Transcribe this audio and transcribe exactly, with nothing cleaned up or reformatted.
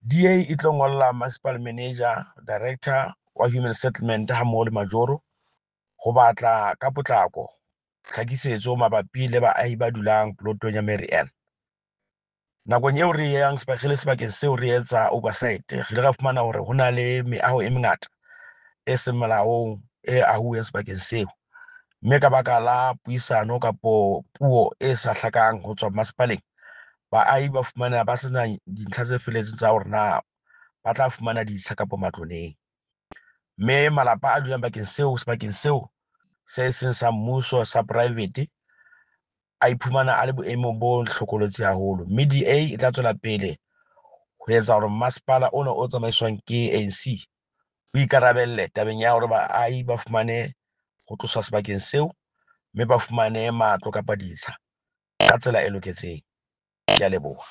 D A e tlo ngolla municipal manager, director wa human settlement ha mmoho le majoro ho batla ka potlako tlhakisetso mabapi le baahi ba dulang plotong ya Mary Ann. Nakong eo re yang sebakeng sebakeng seo re etsa oversight, re ile ra fumana hore ho na le meaho e mengata e seng molaong e ahuweng sebakeng seo. Mme ka baka la puisano kapo puo e sa hlakang ho tswa masepaleng, baahi ba fumana ba sena dintlha tse felletseng tsa hore na ba tla fumana ditsha kapo matlo neng. Mme malapa a dulang bakeng seo sebakeng seo se seng sa mmuso sa private a iphumana a le boemong bo hlokolotsi haholo. Mme D A e tla tswela pele ho etsa hore masepala ona o tsamaiswang ke A N C o ikarabelle tabeng ya hore baahi ba fumane ho tloswa sebakeng seo, mme ba fumane matlo kapa ditsha ka tsela e loketseng. Ke a leboha.